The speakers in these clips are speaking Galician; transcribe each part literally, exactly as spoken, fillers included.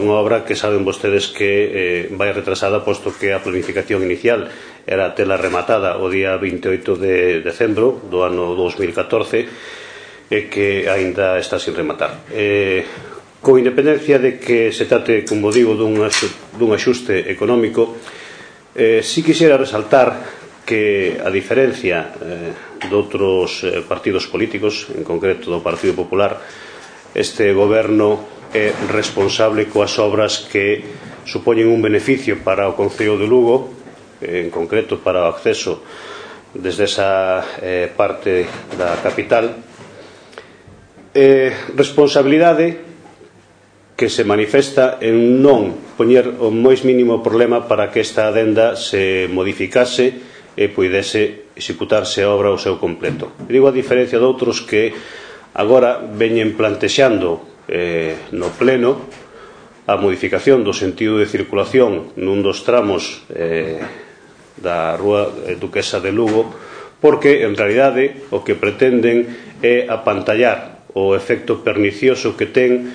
unha obra que saben vostedes que eh, vai retrasada, posto que a planificación inicial era tela rematada o día vinte e oito de decembro do ano dous mil catorce e que aínda está sin rematar. Eh, con independencia de que se trate, como digo, dun axuste económico, eh, si quixera resaltar que, a diferencia eh, de outros eh, partidos políticos, en concreto do Partido Popular, este goberno é responsable coas obras que supoñen un beneficio para o Concello de Lugo, en concreto para o acceso desde esa eh, parte da capital. Eh, responsabilidade que se manifesta en non poñer o máis mínimo problema para que esta adenda se modificase e puidese executarse a obra ao seu completo. Digo a diferencia de outros que agora veñen plantexando eh, no pleno a modificación do sentido de circulación nun dos tramos eh, da Rúa Duquesa de Lugo, porque en realidade o que pretenden é apantallar o efecto pernicioso que ten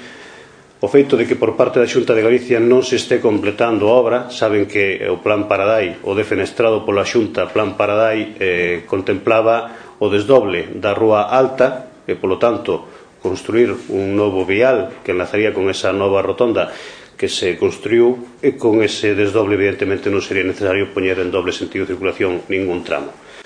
o feito de que por parte da Xunta de Galicia non se este completando a obra. Saben que o Plan Paradai, o defenestrado pola Xunta Plan Paradai, eh, contemplaba o desdoble da Rúa Alta e, polo tanto, construir un novo vial que enlazaría con esa nova rotonda que se construiu, e con ese desdoble evidentemente non sería necesario poñer en doble sentido de circulación ningún tramo.